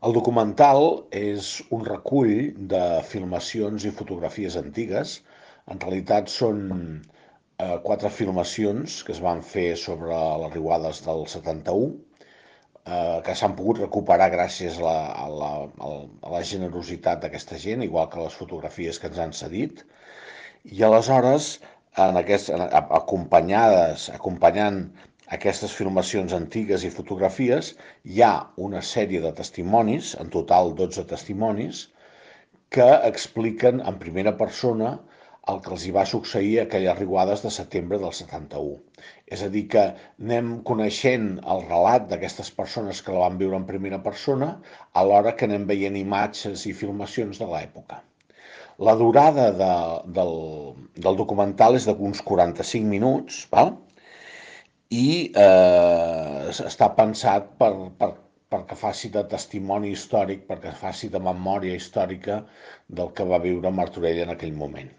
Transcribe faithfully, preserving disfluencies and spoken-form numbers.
El documental és un recull de filmacions i fotografies antigues. En realitat són eh, quatre filmacions que es van fer sobre les riuades del setanta-u, eh, que s'han pogut recuperar gràcies a la, a la, a la generositat d'aquesta gent, igual que les fotografies que ens han cedit. I aleshores, en aquest, en, acompanyades, acompanyant aquestes filmacions antigues i fotografies, hi ha una sèrie de testimonis, en total dotze testimonis, que expliquen en primera persona el que els hi va succeir a aquelles riuades de setembre del setanta-u. És a dir, que anem coneixent el relat d'aquestes persones que la van viure en primera persona, alhora que anem veient imatges i filmacions de l'època. La durada de, del, del documental és d'uns quaranta-cinc minuts, val? I eh, està pensat per, per, perquè faci de testimoni històric, perquè faci de memòria històrica del que va viure Martorell en aquell moment.